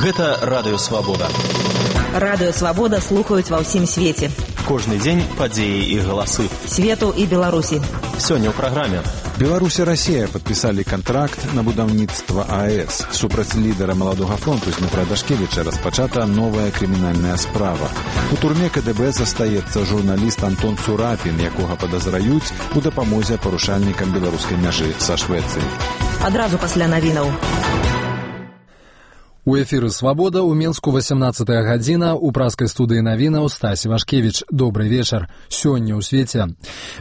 Гэта Радыё Свабода. Радыё Свабода слухаюць ва ўсім свеце. Кожны дзень падзеі і галасы. Свету і Беларусі. Сёння ў праграме. Беларусь і Расія падпісалі кантракт на будаўніцтва АЭС. Супраць лідара Маладога фронту Дмітра Дашкевіча распачата новая крымінальная справа. У турме КДБ застаецца журналіст Антон Цурапін, якога падазраюць у дапамозе парушальнікам беларускай мяжы са Швецыяй. Адразу пасля навінаў. У эфіры «Свабода» у Менску 18-я гадзіна, у праскай студыі навінаў Стась Вашкевіч. Добрый вечар. Сёння ў свеце.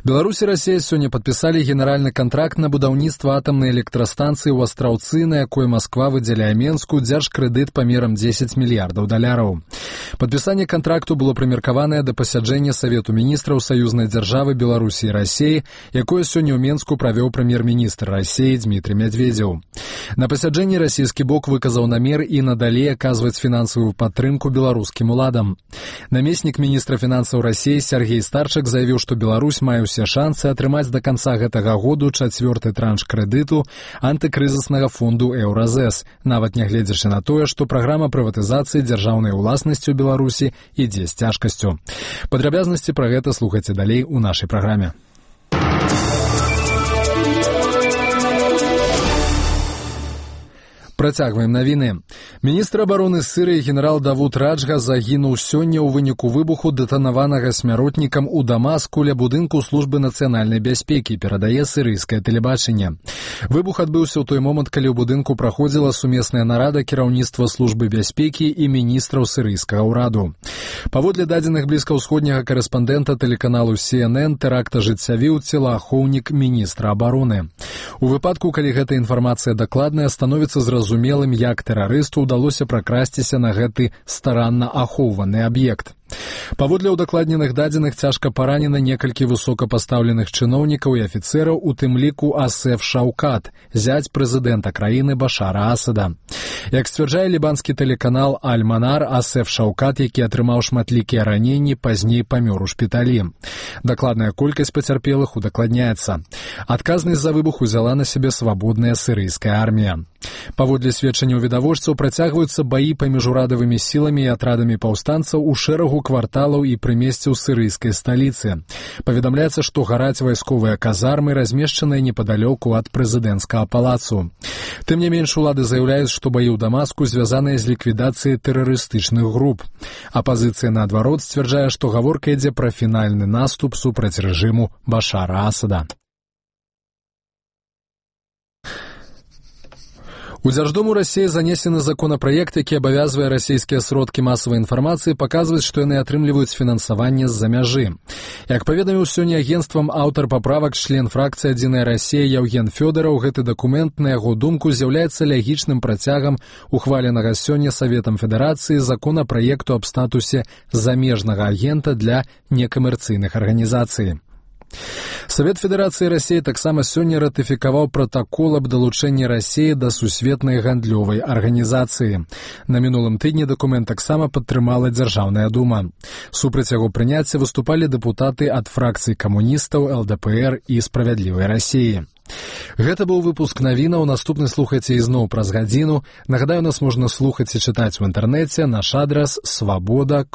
Беларусь і Расія сёння падпісалі генеральны кантракт на будаўніцтва атамнай электрастанцыі ў Астраўцы, на якой Масква выдзяляе Менску дзяржкрэдыт памерам 10 мільярдаў даляраў. Падпісанне кантракту было прымеркаванае да пасяджэння Савету міністраў саюзнай дзяржавы Беларусі і Расіі, якое сёння ў Менску правёў прэм'ер-міністр Расіі Дмітрый Медведзеў. На пасяджэнні расійскі бок выказаў намер і надалей аказваць фінансавую падтрымку беларускім уладам. Намеснік міністра фінансаў Расіі Сергей Старчак заявіў, што Беларусь мае ўсе шансы атрымаць да канца гэтага году 4-ты транш крэдыту антыкрызіснага фонду «Еўразэс», нават нягледзячы на тое, што праграма прыватызацыі дзяржаўнай уласнасці ў Беларусі ідзе з цяжкасцю. Падрабязнасці пра гэта слухайце далей у нашай праграме. Працягваем навіны. Міністр абароны Сірыі генерал Давуд Раджга загінуў сёння ў выніку выбуху дэтанаванага смяротнікам у Дамаску ля будынку службы нацыянальнай бяспекі, перадае сірыйскае тэлебачанне. Выбух адбыўся ў той момант, калі ў будынку праходзіла сумесная нарада кіраўніцтва службы бяспекі і міністраў сірыйскага ўраду. Паводле дадзеных блізкаўсходняга карэспандэнта тэлеканалу CNN, тэракт ажыццявіў целаахоўнік міністра абароны. У выпадку, калі гэта інфармацыя дакладная, становіцца зразумелым, як тэрарысту ўдалося пракрасціся на гэты старанна ахоўваны аб'ект. Паводле ўдакладненых дадзеных цяжка паранена некалькі высокапастаўленых чыноўнікаў і афіцэраў, у тым ліку Асеф Шаўкат, зяць прэзідэнта краіны Башара Асада. Як сцвярджае лібанскі тэлеканал Аль-Манар, Асеф Шаўкат, які атрымаў шматлікія раненні, пазней памёр у шпіталі. Дакладная колькасць пацярпелых удакладняецца. Адказнасць за выбух узяла на сябе свабодная сірыйская армія. Паводле сведчанняў відавочцаў, працягваюцца баі паміж урадавымі сіламі і атрадамі паўстанцаў у шэрагу кварталаў і прымесцяў сірыйскай сталіцы. Паведамляецца, што гараць вайсковыя казармы, размешчаныя непадалёку ад прэзідэнцкага палацу. Тым не менш, улады заяўляюць, што баі ў Дамаску звязаныя з ліквідацыяй тэрарыстычных груп. Апазіцыя, наадварот, сцвярджае, што гаворка ідзе пра фінальны наступ супраць рэжыму Башара Асада. У Дзярждуму Расіі занесены законапраект, які абавязвае расійскія сродкі масавай інфармацыі паказваць, што яны атрымліваюць фінансаванне з-за мяжы. Як паведаміў сёння агенцтвам аўтар паправак, член фракцыі «Адзіная Расія» Яўген Фёдараў, гэты дакумент, на яго думку, з'яўляецца лягічным працягам ухваленага сёння Саветам Федэрацыі законапраекту аб статусе замежнага агента для некамерцыйных арганізацый. Савет Федэрацыі Расіі таксама сёння ратыфікаваў пратакол аб далучэнні Расіі да сусветнай гандлёвай арганізацыі. На мінулым тыдні дакумент таксама падтрымала Дзяржаўная дума. Супраць яго прыняцця выступалі дэпутаты ад фракцый камуністаў, ЛДПР і Справядлівай Расіі. Гэта быў выпуск навінаў, наступны слухайце ізноў праз гадзіну. Нагадаю, нас можна слухаць і чытаць у інтэрнэце, наш адрас свабода.by.